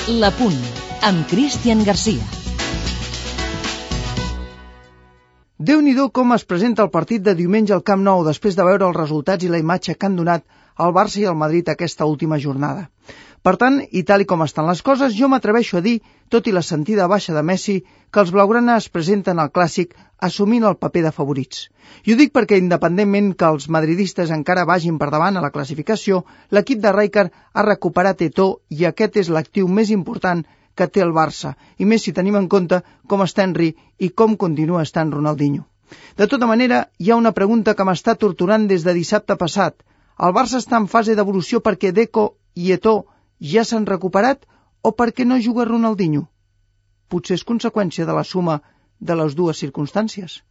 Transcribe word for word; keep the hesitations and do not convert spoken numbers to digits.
La Punt, amb Cristian Garcia. Déu-n'hi-do com es presenta el partit de diumenge al Camp Nou després de veure els resultats i la imatge que han donat el Barça i el Madrid aquesta última jornada. Per tant, i tal i com estan les coses, jo m'atreveixo a dir, tot i la sentida baixa de Messi, que els blaugrana es presenten al Clàssic assumint el paper de favorits. I ho dic perquè, independentment que els madridistes encara vagin per davant a la classificació, l'equip de Rijkaard ha recuperat Eto'o i aquest és l'actiu més important que té el Barça, i més si tenim en compte com està Henry i com continua estant Ronaldinho. De tota manera, hi ha una pregunta que m'està torturant des de dissabte passat. El Barça està en fase d'evolució perquè Deco i Eto'o ja s'han recuperat o perquè no juga Ronaldinho? Potser és conseqüència de la suma de les dues circumstàncies.